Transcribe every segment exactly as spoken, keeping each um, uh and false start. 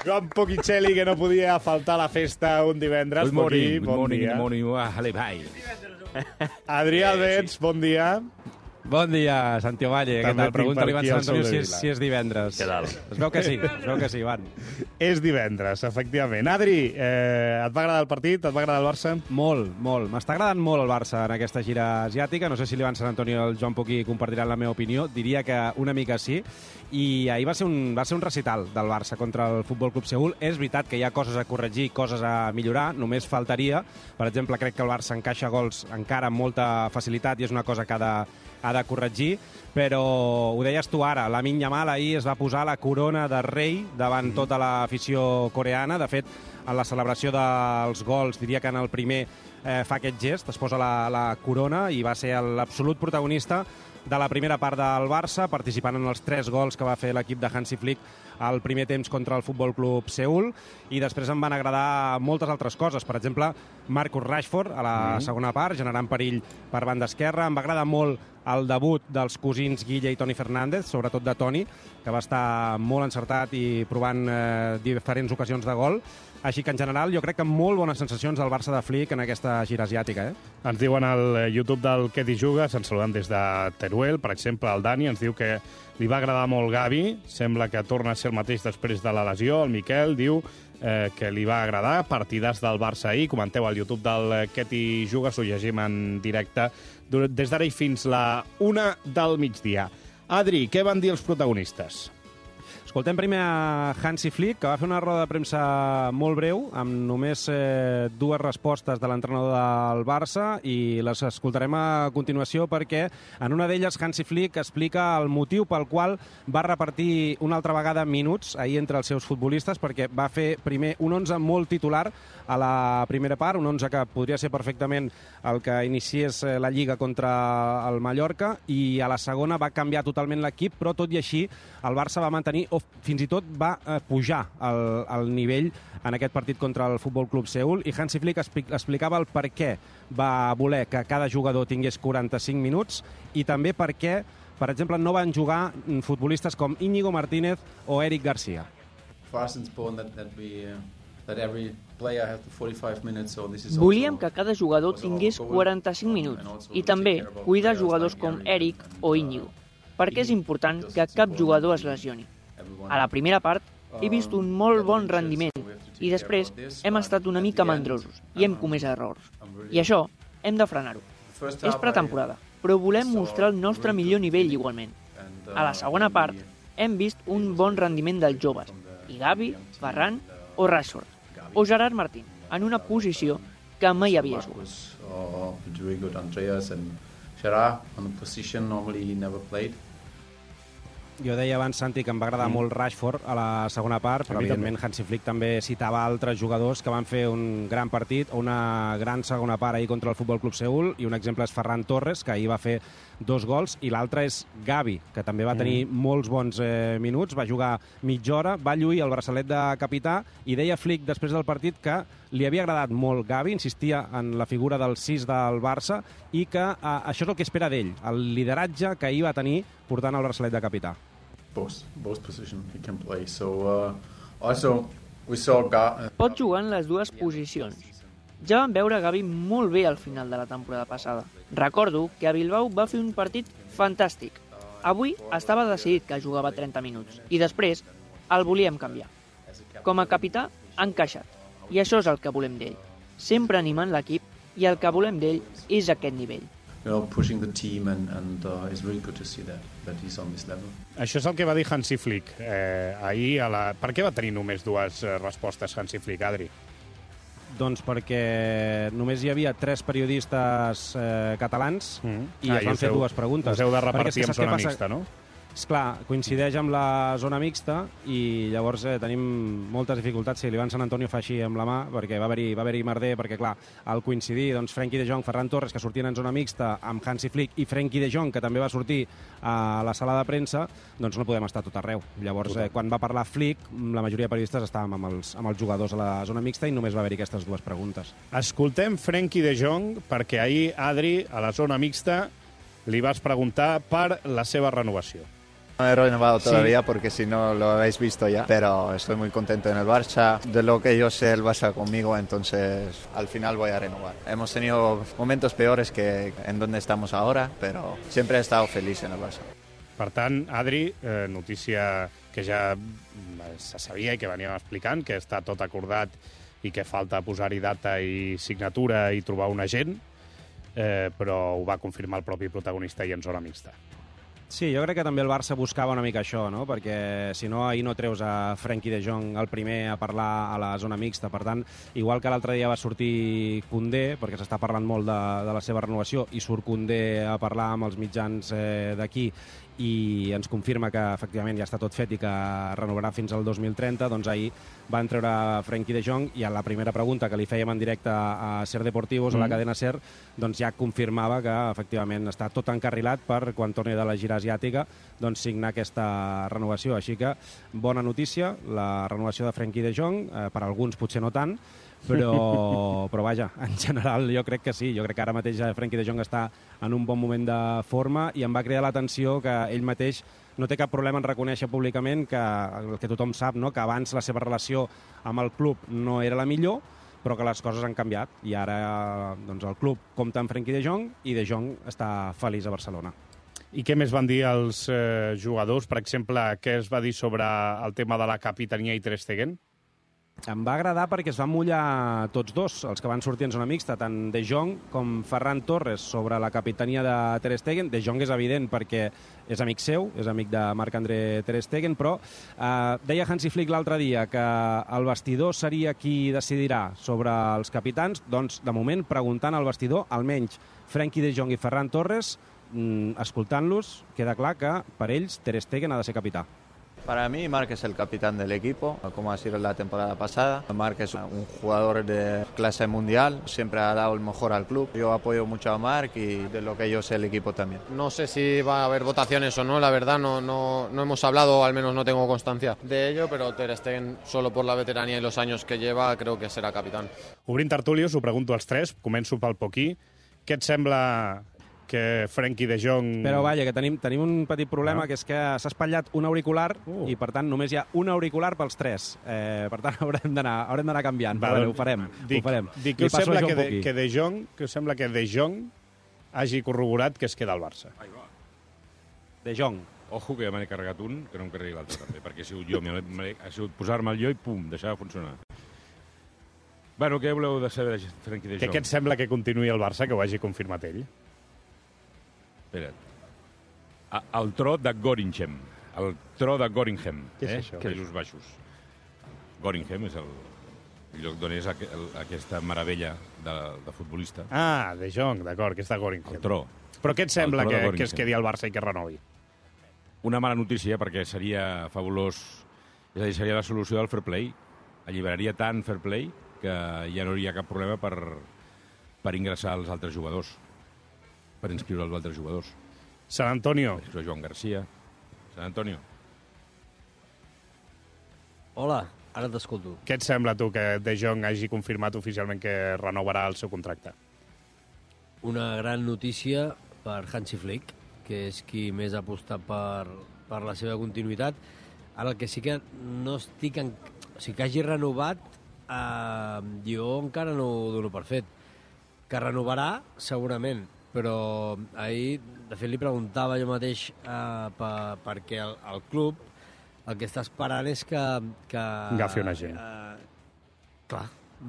Joan Poquicelli, que no podia faltar a la festa un divendres. Good morning, Poqui, good bon morning, dia. good morning. Vale, bye. Adrià Albets, bon dia. Bon dia, Santi Ovalle. Què També tal? tinc Pregunta per l'Ivan aquí Sant el Antonio Sol si de és, Vila. si és divendres. Què tal? Es veu que sí, es veu que sí, Ivan. És divendres, efectivament. Adri, eh, et va agradar el partit? Et va agradar el Barça? Molt, molt. M'està agradant molt el Barça en aquesta gira asiàtica. No sé si l'Ivan Sant Antonio i el Joan Poquí compartiran la meva opinió. Diria que una mica sí. I ahir va ser un, va ser un recital del Barça contra el Futbol Club Seül. És veritat que hi ha coses a corregir, coses a millorar. Només faltaria. Per exemple, crec que el Barça encaixa gols encara amb molta facilitat i és una cosa que ha de, ha de corregir, però ho deies tu ara, Lamine Yamal ahir es va posar la corona de rei davant tota l'afició coreana. De fet, en la celebració dels gols, diria que en el primer eh, fa aquest gest, es posa la, la corona i va ser l'absolut protagonista de la primera part del Barça, participant en els tres gols que va fer l'equip de Hansi Flick al primer temps contra el Futbol Club Seül, i després em van agradar moltes altres coses. Per exemple, Marcus Rashford a la mm. segona part, generant perill per banda esquerra. Em va agradar molt el debut dels cosins Guille i Toni Fernández, sobretot de Toni, que va estar molt encertat i provant eh, diferents ocasions de gol. Així que, en general, jo crec que molt bones sensacions del Barça de Flick en aquesta gira asiàtica. Eh? Ens diuen al YouTube del Què t'hi jugues, ens saludem des de Teruel, per exemple, el Dani ens diu que li va agradar molt Gavi, sembla que torna a ser el mateix després de la lesió. El Miquel diu eh, que li va agradar, partidars del Barça ahir. Comenteu al YouTube del Què t'hi jugues, ho llegim en directe des d'ara i fins la una del migdia. Adri, què van dir els protagonistes? Escoltem primer a Hansi Flick, que va fer una roda de premsa molt breu, amb només eh, dues respostes de l'entrenador del Barça, i les escoltarem a continuació perquè en una d'elles Hansi Flick explica el motiu pel qual va repartir una altra vegada minuts ahir entre els seus futbolistes, perquè va fer primer un onze molt titular a la primera part, un onze que podria ser perfectament el que iniciés la Lliga contra el Mallorca, i a la segona va canviar totalment l'equip, però tot i així el Barça va mantenir, o fins i tot va eh, pujar el, el nivell en aquest partit contra el Futbol Club Seül, i Hansi Flick explicava el per què va voler que cada jugador tingués quaranta-cinc minuts i també per què, per exemple, no van jugar futbolistes com Íñigo Martínez o Eric Garcia. Volíem que cada jugador tingués quaranta-cinc minuts i també cuidar jugadors com Eric o Íñigo, perquè és important que cap jugador es lesioni. A la primera part he vist un molt bon rendiment i després hem estat una mica mandrosos i hem comès errors. I això hem de frenar-ho. És pretemporada, però volem mostrar el nostre millor nivell igualment. A la segona part hem vist un bon rendiment dels joves, i Gavi, Ferran o Rashford, o Gerard Martín, en una posició que mai havia jugat. Jo deia abans, Santi, que em va agradar mm. molt Rashford a la segona part, però evidentment Hansi Flick també citava altres jugadors que van fer un gran partit o una gran segona part ahir contra el Futbol Club Seül, i un exemple és Ferran Torres, que ahir va fer dos gols, i l'altre és Gavi, que també va tenir mm. molts bons eh, minuts, va jugar mitja hora, va lluir el braçalet de capità, i deia Flick després del partit que li havia agradat molt Gavi, insistia en la figura del sis del Barça, i que eh, això és el que espera d'ell, el lideratge que ahir va tenir portant el braçalet de capità. Both, both position he can play. So, uh, also, we saw Ga- Pot jugar en les dues posicions. Ja vam veure Gavi molt bé al final de la temporada passada. Recordo que a Bilbao va fer un partit fantàstic. Avui estava decidit que jugava trenta minuts i després el volíem canviar. Com a capità, ha encaixat. I això és el que volem d'ell. Sempre animant l'equip, i el que volem d'ell és aquest nivell. You know, pushing the team, and, and uh, it's really good to see that, that he's on this level. Això és el que va dir Hansi Flick eh, ahir. A la... Per què va tenir només dues eh, respostes Hansi Flick, Adri? Doncs perquè només hi havia tres periodistes eh, catalans mm. i ah, es van fer heu, dues preguntes. Us heu de repartir en zona mixta, no? Esclar, coincideix amb la zona mixta i llavors eh, tenim moltes dificultats si l'Ivan Sant Antonio fa així amb la mà, perquè va haver-hi va haver-hi merder, perquè clar, al coincidir doncs, Frenkie de Jong, Ferran Torres, que sortien en zona mixta amb Hansi Flick, i Frenkie de Jong, que també va sortir a la sala de premsa, doncs no podem estar tot arreu. Llavors, eh, quan va parlar Flick, la majoria de periodistes estàvem amb els, amb els jugadors a la zona mixta i només va haver-hi aquestes dues preguntes. Escoltem Frenkie de Jong, perquè ahir, Adri, a la zona mixta, li vas preguntar per la seva renovació. No he renovado todavía sí. porque si no lo habéis visto ya, pero estoy muy contento en el Barça. De lo que yo sé, el Barça conmigo, entonces al final voy a renovar. Hemos tenido momentos peores que en donde estamos ahora, pero siempre he estado feliz en el Barça. Per tant, Adri, eh, notícia que ja se sabia i que veníem explicant, que està tot acordat i que falta posar-hi data i signatura i trobar un agent, eh, però ho va confirmar el propi protagonista i en zona mixta. Sí, jo crec que també el Barça buscava una mica això, no? Perquè si no, ahir no treus a Frenkie de Jong el primer a parlar a la zona mixta. Per tant, igual que l'altre dia va sortir Koundé, perquè s'està parlant molt de, de la seva renovació, i surt Koundé a parlar amb els mitjans eh, d'aquí i ens confirma que efectivament ja està tot fet i que renovarà fins al dos mil trenta, doncs ahir van treure Frenkie de Jong i a la primera pregunta que li fèiem en directe a Ser Deportivos, mm. a la cadena Ser, doncs ja confirmava que efectivament està tot encarrilat per quan torni de la gira asiàtica doncs signar aquesta renovació. Així que bona notícia, la renovació de Frenkie de Jong, eh, per alguns potser no tant, però, però vaja, en general jo crec que sí. Jo crec que ara mateix Frenkie de Jong està en un bon moment de forma i em va cridar l'atenció que ell mateix no té cap problema en reconèixer públicament que el que tothom sap, no? Que abans la seva relació amb el club no era la millor, però que les coses han canviat i ara doncs, el club compta amb Frenkie de Jong i de Jong està feliç a Barcelona. I què més van dir els eh, jugadors? Per exemple, què es va dir sobre el tema de la capitania i Ter Stegen? Em va agradar perquè es van mullar tots dos, els que van sortir en zona mixta, tant De Jong com Ferran Torres, sobre la capitania de Ter Stegen. De Jong és evident perquè és amic seu, és amic de Marc-André Ter Stegen, però eh, deia Hansi Flick l'altre dia que el vestidor seria qui decidirà sobre els capitans. Doncs, de moment, preguntant al vestidor, almenys Frenkie de Jong i Ferran Torres, mm, escoltant-los, queda clar que per ells Ter Stegen ha de ser capità. Para mí, Marc es el capitán del equipo, como ha sido la temporada pasada. Marc es un jugador de clase mundial, siempre ha dado el mejor al club. Yo apoyo mucho a Marc y de lo que yo sé el equipo también. No sé si va a haber votaciones o no, la verdad no, no, no hemos hablado, al menos no tengo constancia de ello, pero Ter Stegen, solo por la veteranía y los años que lleva, creo que será capitán. Obrint tertúlia, us ho pregunto als tres, començo pel Poquí. Què et sembla que Frenkie de Jong... Però vaja, que tenim, tenim un petit problema, ah. que és que s'ha espatllat un auricular uh. i, per tant, només hi ha un auricular pels tres. Eh, per tant, haurem d'anar haurem d'anar canviant. Va, però, ho farem. Dic, ho farem. Dic que us sembla que de, que, de Jong, que us sembla que De Jong hagi corroborat que es queda al Barça. De Jong. Ojo, que ja me n'he carregat un, que no em carregui l'altre també, perquè ha sigut jo, ha sigut posar-me el jo i pum, deixar de funcionar. Bueno, què voleu de saber de Frenkie de Jong? Què et sembla que continuï el Barça, que ho hagi confirmat ell? Espera't. El tro de Goringham. El tro de Goringham. Què és eh? això? Països Baixos. Goringham és el, el lloc d'on és aqu el, aquesta meravella de, de futbolista. Ah, De Jong, d'acord, que és de Goringham. El tro. Però què et sembla que, que es quedi al Barça i que renovi? Una mala notícia, perquè seria fabulós. És a dir, seria la solució del fair play. Alliberaria tant fair play que ja no hi ha cap problema per, per ingressar els altres jugadors. Per inscriure els altres jugadors. San Antonio. Per Joan Garcia. San Antonio. Hola, ara t'escolto. Què et sembla, tu, que De Jong hagi confirmat oficialment que renovarà el seu contracte? Una gran notícia per Hansi Flick, que és qui més ha apostat per, per la seva continuïtat. Ara, el que sí que no estic... En... O sigui, que hagi renovat, eh, jo encara no ho dono per fet. Que renovarà, segurament, però ahir, de fet, li preguntava jo mateix eh, per, perquè el, el club el que està esperant és que... que agafi una gent. Eh, clar,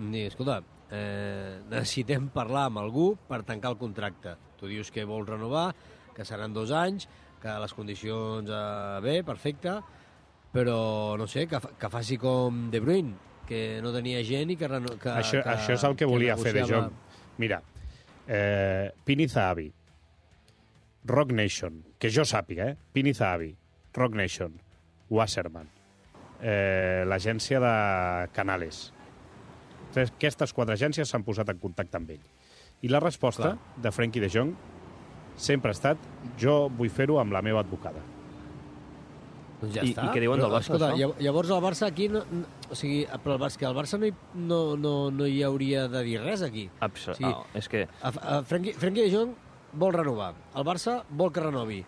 i, escolta, eh, necessitem parlar amb algú per tancar el contracte. Tu dius que vols renovar, que seran dos anys, que les condicions eh, bé, perfecte, però, no sé, que, que faci com De Bruyne, que no tenia gent i que... que això, que, això és el que, que volia negociava... fer De Jong. Mira, Eh, Pini Zahavi, Rock Nation, que jo sàpiga, eh? Pini Zahavi, Rock Nation, Wasserman, eh, l'agència de Canales. Entonces, aquestes quatre agències s'han posat en contacte amb ell. I la resposta Clar. de Frenkie de Jong sempre ha estat jo vull fer-ho amb la meva advocada. Doncs ja I, està. I què diuen del Barça, Escolta, això? Llavors el Barça aquí... No, no, o sigui, però el Barça, que el Barça no hi, no, no, no hi hauria de dir res aquí. Abs o sigui, no, és que... A, a Frenkie, Frenkie de Jong vol renovar. El Barça vol que renovi.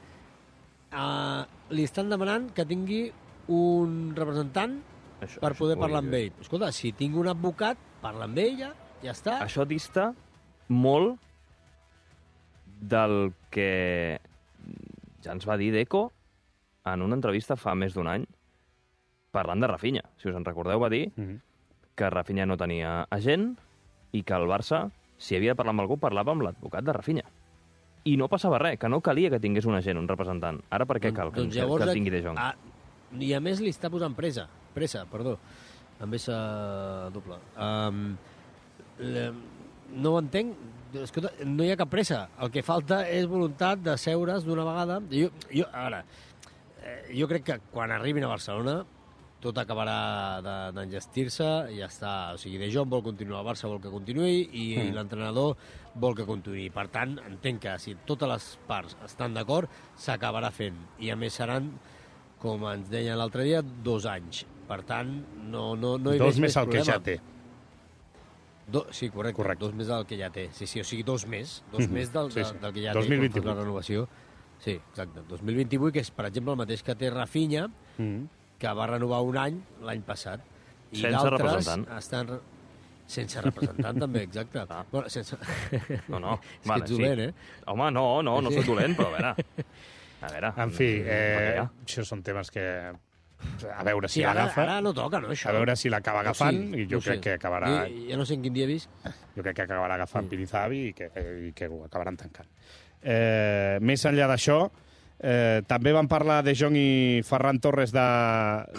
uh, li estan demanant que tingui un representant això, per poder això parlar amb ell. Escolta, si tinc un advocat, parla amb ella, ja està. Això dista molt del que ja ens va dir Deco en una entrevista fa més d'un any parlant de Rafinha. Si us en recordeu, va dir mm-hmm. que Rafinha no tenia agent i que el Barça, si havia de parlar amb algú, parlava amb l'advocat de Rafinha. I no passava res, que no calia que tingués un agent, un representant. Ara per què cal que, doncs llavors, que tingui De Jong? A, I a més li està posant pressa, pressa, perdó, amb essa doble. Um, le, no ho entenc, escolta, no hi ha cap pressa. El que falta és voluntat de seure's d'una vegada. Jo, jo, ara, eh, jo crec que quan arribin a Barcelona tot acabarà d'engestir-se i ja està. O sigui, De Jong vol continuar, el Barça vol que continuï i mm. l'entrenador vol que continuï. Per tant, entenc que si totes les parts estan d'acord, s'acabarà fent. I a més seran, com ens deien l'altre dia, dos anys. Per tant, no, no, no hi veig més, més el problema. Que ja té. Do, sí, correcte, correcte. Dos més del que ja té. Sí, sí, o sigui, dos més. Dos mm-hmm. més del, sí, sí. del que ja dos mil vint-i-vuit. té. La renovació. Sí, exacte. dos mil vint-i-vuit, que és, per exemple, el mateix que té Rafinha, mm-hmm. que va renovar un any l'any passat. I sense representant. Estan... Sense representant, també, exacte. Ah. Bueno, sense... No, no. És vale, que ets dolent, sí. eh? Home, no, no, no soc dolent, però a veure... A veure... En fi, eh, això són temes que... A veure si sí, l'agafa. Ara no toca, no, això? A veure si l'acaba agafant, no, sí, i jo no crec sé. que acabarà... Jo, ja no sé en quin dia he vist. Jo crec que acabarà agafant sí. Pinizabi i que, i que ho acabaran tancant. Eh, més enllà d'això, Eh, també van parlar De Jong i Ferran Torres de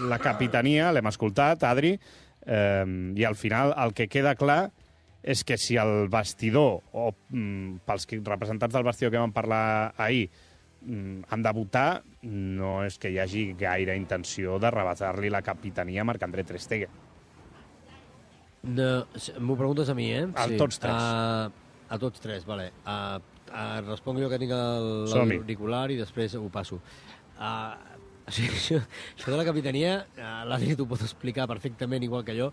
la capitania, l'hem escoltat, Adri, eh, i al final el que queda clar és que si el vestidor, o mm, pels representants del vestidor que van parlar ahir, mm, han de votar, no és que hi hagi gaire intenció de rebatar-li la capitania a Marc-André Ter Stegen. No, m'ho preguntes a mi, eh? A sí. tots tres. Uh, a tots tres, vale. Uh, Uh, responc jo que tinc l'auricular i després ho passo. Uh, o sigui, això, això de la capitania, uh, l'Adri t'ho pot explicar perfectament igual que jo,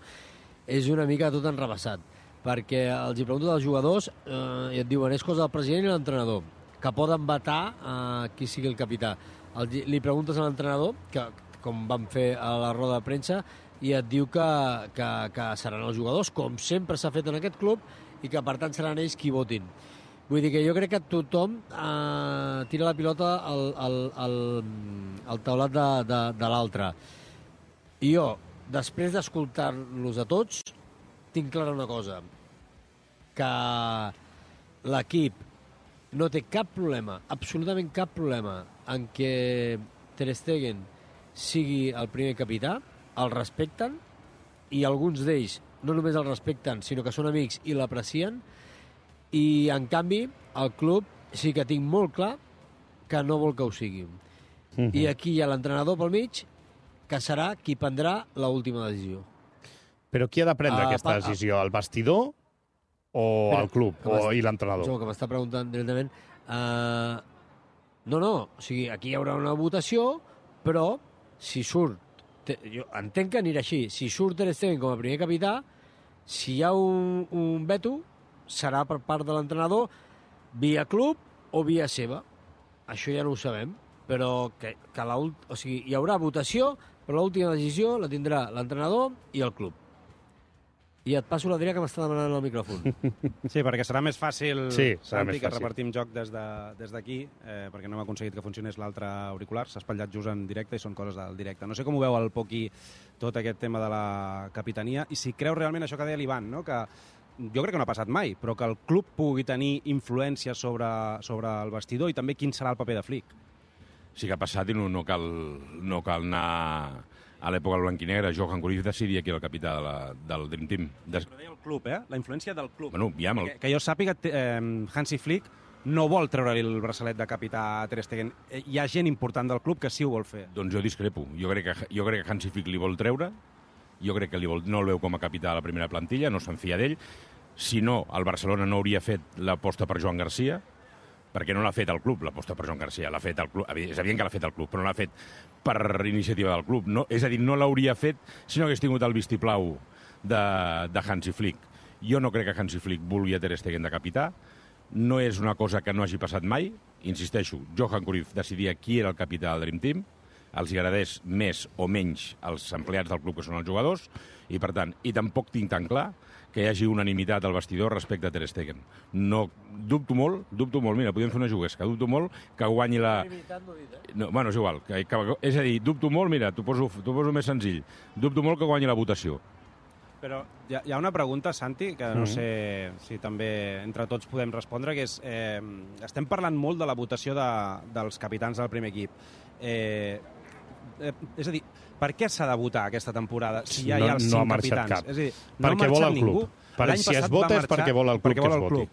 és una mica tot enrebaçat, perquè els hi pregunto dels jugadors uh, i et diuen és cosa del president i l'entrenador, que poden vetar uh, qui sigui el capità. El, li preguntes a l'entrenador, que com vam fer a la roda de premsa, i et diu que, que, que seran els jugadors, com sempre s'ha fet en aquest club, i que per tant seran ells qui votin. Vull dir que jo crec que tothom eh, tira la pilota al, al, al, al taulat de, de, de l'altre. I jo, després d'escoltar-los a tots, tinc clara una cosa, que l'equip no té cap problema, absolutament cap problema, en què Ter Stegen sigui el primer capità, el respecten, i alguns d'ells no només el respecten, sinó que són amics i l'aprecien, i en canvi el club sí que tinc molt clar que no vol que ho sigui. Mm-hmm. I aquí hi ha l'entrenador pel mig que serà qui prendrà l'última decisió. Però qui ha de prendre uh, aquesta pa, decisió? El vestidor o Espera, el club o, i l'entrenador? Que m'està preguntant directament. Uh, no, no, o sigui, aquí hi haurà una votació, però si surt, te, jo entenc que anirà així, si surt Ter Stegen com a primer capità, si hi ha un, un veto, serà per part de l'entrenador via club o via seva. Això ja no ho sabem, però que, que la, o sigui, hi haurà votació, però l'última decisió la tindrà l'entrenador i el club. I et passo l'Adrià, que m'està demanant el micròfon. Sí, perquè serà més fàcil, sí, serà Santi, més que fàcil. repartim joc des d'aquí, de, eh, perquè no hem aconseguit que funcionés l'altre auricular. S'ha espatllat just en directe i són coses del directe. No sé com ho veu el Poqui, tot aquest tema de la capitania, i si creu realment això que deia l'Ivan, no? Que jo crec que no ha passat mai, però que el club pugui tenir influència sobre, sobre el vestidor i també quin serà el paper de Flick. Sí que ha passat i no, no, cal, no cal anar a l'època blanquinegra. Johan Cruyff decidia qui era el capità de la, del Dream Team. Des... Però deia el club, eh? La influència del club. Bueno, ja el... que, que jo sàpiga, eh, Hansi Flick no vol treure-li el braçalet de capità a Ter Stegen. Hi ha gent important del club que sí ho vol fer. Doncs jo discrepo. Jo crec que, jo crec que Hansi Flick li vol treure. Jo crec que li vol, no el veu com a capità de la primera plantilla, no se'n fia d'ell. Si no, el Barcelona no hauria fet l'aposta per Joan Garcia, perquè no l'ha fet el club, l'aposta per Joan Garcia. L'ha fet el club. És evident que l'ha fet el club, però no l'ha fet per iniciativa del club. No, és a dir, no l'hauria fet si no hagués tingut el vistiplau de, de Hansi Flick. Jo no crec que Hansi Flick vulgui a Ter Stegen de capità. no és una cosa que no hagi passat mai. Insisteixo, Johan Cruyff decidia qui era el capità del Dream Team, els agradés més o menys als empleats del club, que són els jugadors, i per tant, i tampoc tinc tan clar que hi hagi unanimitat al vestidor respecte a Ter Stegen. No, dubto molt, dubto molt, mira, podríem fer una juguesca, dubto molt que guanyi la... No, bueno, és igual, que, que, és a dir, dubto molt, mira, t'ho poso, t'ho poso més senzill, dubto molt que guanyi la votació. Però hi ha, hi ha una pregunta, Santi, que no sé si també entre tots podem respondre, que és, eh, estem parlant molt de la votació de, dels capitans del primer equip. Eh, eh, és a dir, per què s'ha de votar aquesta temporada si ja hi ha els no, cinc no capitans? Cap. És a dir, no perquè vol el club. Per, si es vota és perquè vol el club que es voti.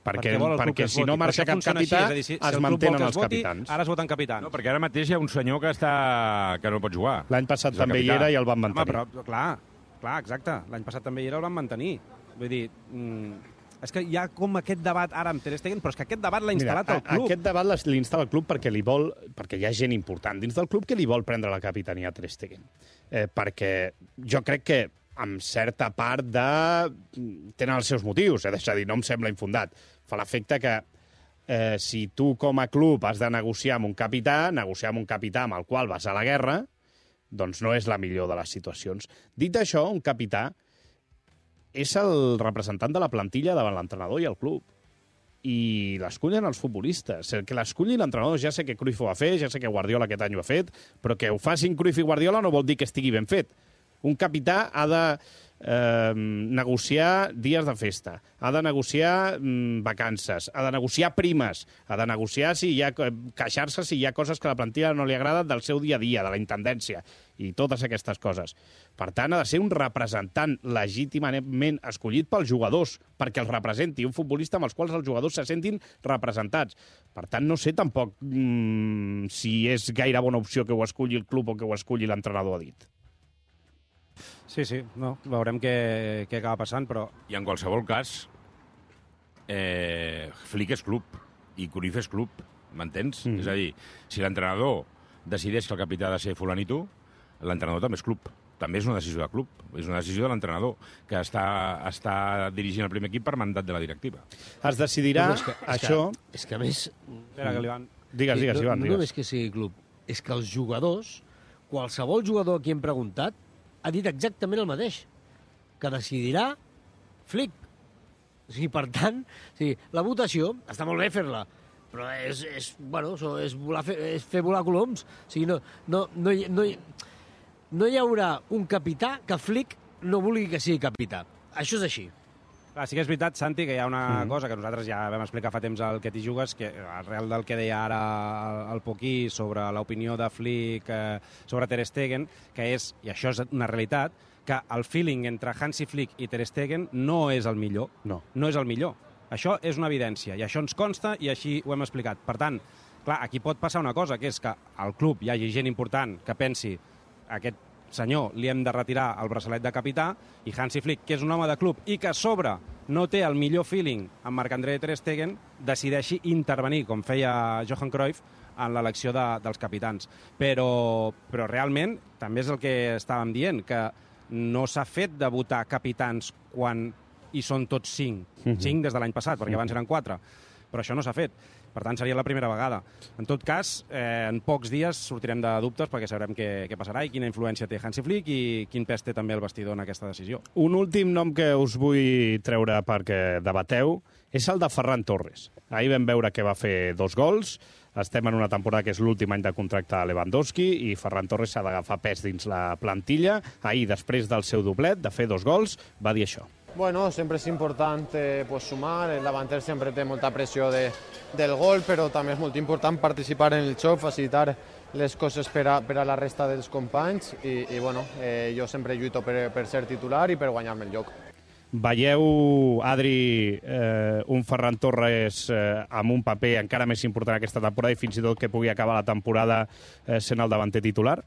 Perquè, perquè, perquè si no marxa cap capità, així, si, es si mantenen els voti, capitans. Ara es voten capitans. No, perquè ara mateix hi ha un senyor que està que no pot jugar. L'any passat també hi era i el van mantenir. Home, però, clar, clar, exacte. L'any passat també hi era i el van mantenir. Vull dir, mm, és que hi ha com aquest debat ara amb Ter Stegen, però és que aquest debat l'ha instal·lat el club. Aquest debat l'instal·la el club perquè li vol, perquè hi ha gent important dins del club que li vol prendre la capitania a Ter Stegen. Eh, perquè jo crec que amb certa part de... tenen els seus motius, eh? És a dir, no em sembla infundat. Fa l'efecte que eh, si tu com a club has de negociar amb un capità, negociar amb un capità amb el qual vas a la guerra, doncs no és la millor de les situacions. Dit això, un capità és el representant de la plantilla davant l'entrenador i el club. I l'escullen els futbolistes. El que l'esculli l'entrenador, ja sé que Cruyff ho va fer, ja sé que Guardiola aquest any ho ha fet, però que ho facin Cruyff i Guardiola no vol dir que estigui ben fet. Un capità ha de eh, negociar dies de festa, ha de negociar mm, vacances, ha de negociar primes, ha de negociar si hi ha queixar-se si hi ha coses que a la plantilla no li agraden del seu dia a dia, de la intendència, i totes aquestes coses. Per tant, ha de ser un representant legítimament escollit pels jugadors, perquè els representi, un futbolista amb els quals els jugadors se sentin representats. Per tant, no sé tampoc mmm, si és gaire bona opció que ho esculli el club o que ho esculli l'entrenador, ha dit. Sí, sí, no, veurem què, què acaba passant, però... I en qualsevol cas, eh, Flick és club i Cruyff és club, m'entens? Mm. És a dir, si l'entrenador decideix que el capità ha de ser fulanito, l'entrenador també és club. També és una decisió de club, és una decisió de l'entrenador, que està, està dirigint el primer equip per mandat de la directiva. Es decidirà és que, és això... Que, és que a més... Espera, que li van... Digues, digues, no, Ivan, no digues. només que sigui club, és que els jugadors, qualsevol jugador a qui hem preguntat, ha dit exactament el mateix, que decidirà Flick. O sigui, per tant, o sigui, la votació, està molt bé fer-la, però és, és, bueno, és, volar, fer, és fer volar coloms. O sigui, no, no, no, hi, no, hi, no hi haurà un capità que Flick no vulgui que sigui capità. Això és així. Clar, sí que és veritat, Santi, que hi ha una Mm. cosa que nosaltres ja vam explicar fa temps al Que t'hi jugues, que arrel del que deia ara el Poquí sobre l'opinió de Flick eh, sobre Ter Stegen, que és, i això és una realitat, que el feeling entre Hansi Flick i Ter Stegen no és el millor. No. No és el millor. Això és una evidència, i això ens consta i així ho hem explicat. Per tant, clar, aquí pot passar una cosa, que és que al club hi hagi gent important que pensi aquest senyor, li hem de retirar el braçalet de capità, i Hansi Flick, que és un home de club i que a sobre no té el millor feeling amb Marc-André Ter Stegen, decideixi intervenir, com feia Johan Cruyff, en l'elecció de, dels capitans. Però, però realment, també és el que estàvem dient, que no s'ha fet de votar capitans quan hi són tots cinc. Mm-hmm. Cinc des de l'any passat, perquè abans eren quatre. Però això no s'ha fet. Per tant, seria la primera vegada. En tot cas, eh, en pocs dies sortirem de dubtes perquè sabrem què, què passarà i quina influència té Hansi Flick i quin pes té també el vestidor en aquesta decisió. Un últim nom que us vull treure perquè debateu és el de Ferran Torres. Ahir vam veure que va fer dos gols. Estem en una temporada que és l'últim any de contracte a Lewandowski i Ferran Torres s'ha d'agafar pes dins la plantilla. Ahir, després del seu doblet, de fer dos gols, va dir això. Bueno, sempre és important eh, pues, sumar, el davanter sempre té molta pressió de, del gol, però també és molt important participar en el xoc, facilitar les coses per a, per a la resta dels companys i, i bueno, eh, jo sempre lluito per, per ser titular i per guanyar-me el lloc. Veieu, Adri, eh, un Ferran Torres eh, amb un paper encara més important aquesta temporada i fins i tot que pugui acabar la temporada eh, sent el davanter titular?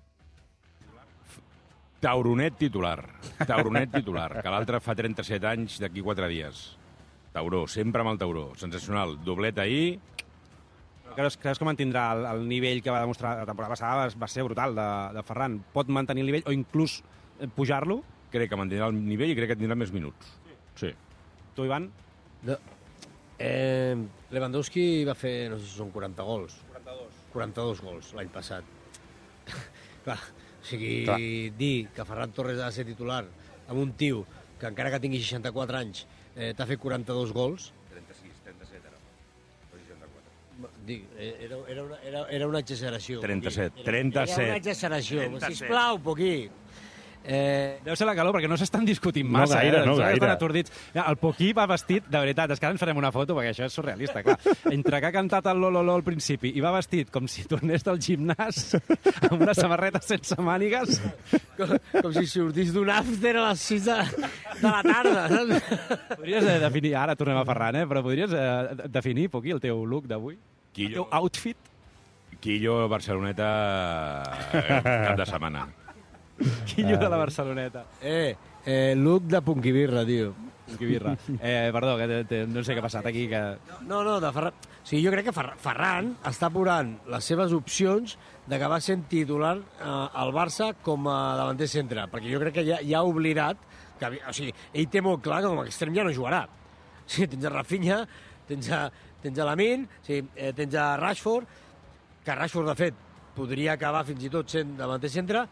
Tauronet titular. Tauronet titular, que l'altre fa trenta-set anys d'aquí quatre dies. Tauró, sempre amb el Tauró. Sensacional. Doblet ahir. Creus, creus que mantindrà el, el nivell que va demostrar la temporada passada? Va, va ser brutal de, de Ferran. Pot mantenir el nivell o inclús pujar-lo? Crec que mantindrà el nivell i crec que tindrà més minuts. Sí. Tu, Ivan? No. Eh, Lewandowski va fer, no sé si són quaranta gols. quaranta-dos. quaranta-dos gols l'any passat. Clar, o sigui, Clar. dir que Ferran Torres ha de ser titular amb un tio que encara que tingui seixanta-quatre anys eh, t'ha fet quaranta-dos gols... trenta-sis, trenta-set era. O seixanta-quatre. Dic, era, era, una, era, era una exageració. trenta-set, Poquí. Era, trenta-set. Era una exageració. trenta-set. Sisplau, Poquí. Eh, Deu ser la calor, perquè no s'estan discutint No massa. gaire, eh? no Estan gaire. atordits. Ja, el Poquí va vestit, de veritat, és que ara ens farem una foto, perquè això és surrealista, clar. Entre que ha cantat el Lololó al principi i va vestit com si tornés del gimnàs, amb una samarreta sense mànigues. com, com si sortís d'un after a les sis de, de la tarda. Saps? Podries eh, definir, ara tornem a Ferran, eh? però podries eh, definir, Poquí, el teu look d'avui? El Quillo, teu outfit? Quillo Barceloneta eh, cap de setmana. Quillo de la Barceloneta. Eh, eh, look de Punquibirra, tio. Punquibirra. Eh, perdó, que te, te, no sé què ha passat aquí. Que... No, no, de Ferran... O sigui, jo crec que Fer Ferran està apurant les seves opcions d'acabar sent titular eh, al Barça com a davanter centre, perquè jo crec que ja, ja ha oblidat que, o sigui, ell té molt clar que com a extrem ja no jugarà. O sigui, tens a Rafinha, tens a, tens a Lamine, o sigui, eh, tens a Rashford, que Rashford, de fet, podria acabar fins i tot sent davanter centre.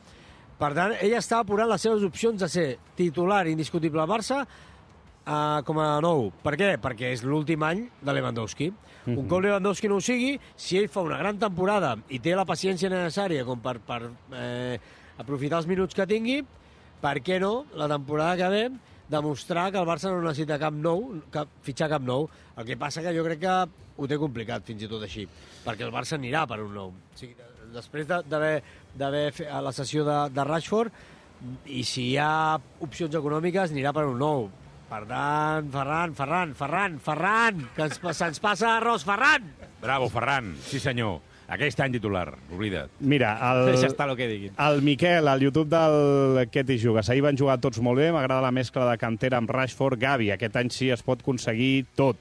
Per tant, ell està apurant les seves opcions de ser titular indiscutible al Barça uh, com a nou. Per què? Perquè és l'últim any de Lewandowski. Mm-hmm. Un cop Lewandowski no ho sigui, si ell fa una gran temporada i té la paciència necessària com per, per eh, aprofitar els minuts que tingui, per què no, la temporada que ve, demostrar que el Barça no necessita cap nou, cap, fitxar cap nou. El que passa que jo crec que ho té complicat, fins i tot així, perquè el Barça anirà per un nou. O sigui, després d'haver fet la sessió de, de Rashford, i si hi ha opcions econòmiques, anirà per un nou. Per tant, Ferran, Ferran, Ferran, Ferran, que ens, se'ns passa arròs, Ferran! Bravo, Ferran, sí senyor. Aquest any titular, oblida't. Mira, el, Deixa estar el que diguin. el Miquel, al YouTube del Què t'hi jugues. Ahir van jugar tots molt bé, m'agrada la mescla de cantera amb Rashford, Gavi. Aquest any sí es pot aconseguir tot.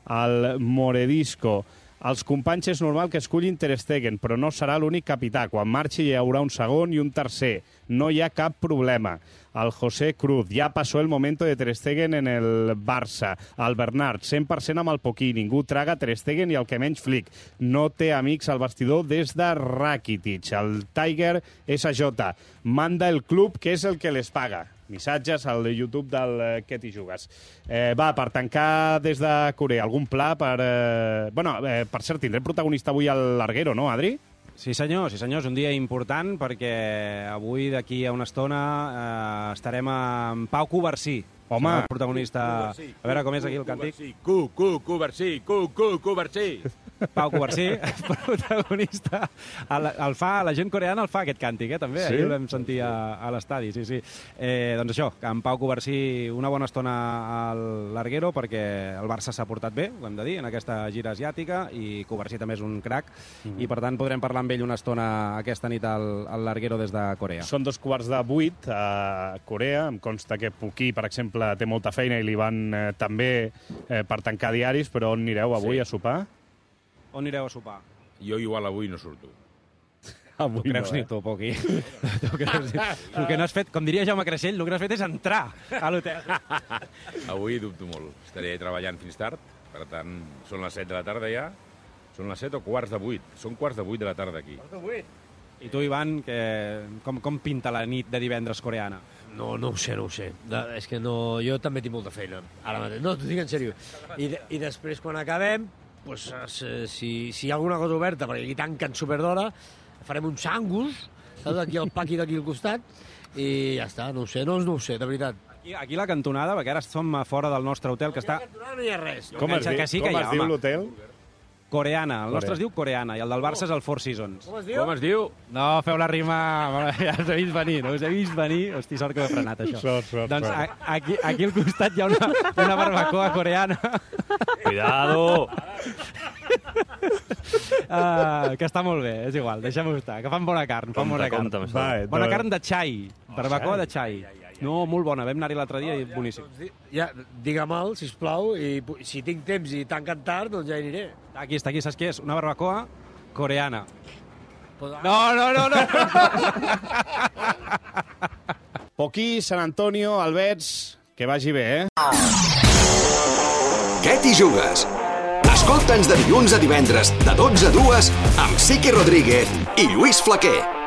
El Moredisco. Els companys és normal que escullin Ter Stegen, però no serà l'únic capità. Quan marxi hi haurà un segon i un tercer. No hi ha cap problema. El José Cruz, ja passó el momento de Ter Stegen en el Barça. El Bernard, cent per cent amb el Poquí. Ningú traga Ter Stegen i el que menys Flick. No té amics al vestidor des de Rakitic. El Tiger S J. Manda el club, que és el que les paga. Missatges al YouTube del eh, Què t'hi jugues. Eh, va, per tancar des de Corea, algun pla per... Eh... Bueno, eh, per cert, tindrem protagonista avui al Larguero, no, Adri? Sí senyor, sí senyor, és un dia important perquè avui d'aquí a una estona eh, estarem amb Pau Covarsí. Home. El protagonista... A veure com és aquí el càntic. Cu, cu, Covarsí, cu, cu, Covarsí. Pau Covarsí, protagonista. El, el fa, la gent coreana el fa, aquest càntic, eh, també. Sí? Ahir el vam sentir a, a l'estadi, sí, sí. Eh, doncs això, amb Pau Covarsí una bona estona al Larguero perquè el Barça s'ha portat bé, ho hem de dir, en aquesta gira asiàtica, i Covarsí també és un crac, mm. i per tant podrem parlar amb ell una estona aquesta nit al, al Larguero des de Corea. Són dos quarts de vuit a Corea. Em consta que Poquí, per exemple, té molta feina i li van eh, també eh, per tancar diaris, però on anireu avui Sí. a sopar? On anireu a sopar? Jo igual avui no surto. Avui Tu creus no, ni tu, Poqui. Tu creus ni... El que no has fet, com diria Jaume Creixell, el que no has fet és entrar a l'hotel. Avui dubto molt. Estaré treballant fins tard, per tant, són les set de la tarda ja. Són les set o quarts de vuit. Són quarts de vuit de la tarda aquí. I tu, Ivan, que... com, com pinta la nit de divendres coreana? No, no ho sé, no ho sé. De, és que no, jo també tinc molta feina, ara mateix. No, t'ho dic en sèrio. I, de, I després, quan acabem, pues, si, si hi ha alguna cosa oberta, perquè aquí tanquen superdora, farem un sangus, saps? Aquí al paqui d'aquí al costat, i ja està, no ho sé, no, no ho sé, de veritat. Aquí, aquí la cantonada, perquè ara som a fora del nostre hotel, que està... No hi ha res. Com es, Que di sí que com hi ha, es diu home. l'hotel? Coreana. El Corea. nostre es diu Coreana, i el del Barça és el Four Seasons. Com es diu? Com es diu? No, feu la rima... Ja us he vist venir, no us he vist venir. Hosti, sort que ho he frenat, això. Sort, sort, doncs sort. a, aquí, aquí al costat hi ha una, una barbacoa coreana. Cuidado! Uh, que està molt bé, és igual, deixem-ho estar. Que fan bona carn, fan Compte, bona carn. compte amb això. Va, eh, Bona doncs- carn de xai, barbacoa de xai. No, molt bona, vam anar-hi l'altre dia i boníssim. Doncs di, ja, digue-me'l, sisplau, i pu- si tinc temps i tanquen tard, doncs ja hi aniré. Aquí està, aquí, saps què és? Una barbacoa coreana. Pues, No, no, no, no! Poquí, Sant Antonio, Albets, que vagi bé, eh? Què t'hi jugues? Escolta'ns de dilluns a divendres, de dotze a dues, amb Siqui Rodríguez i Lluís Flaquer.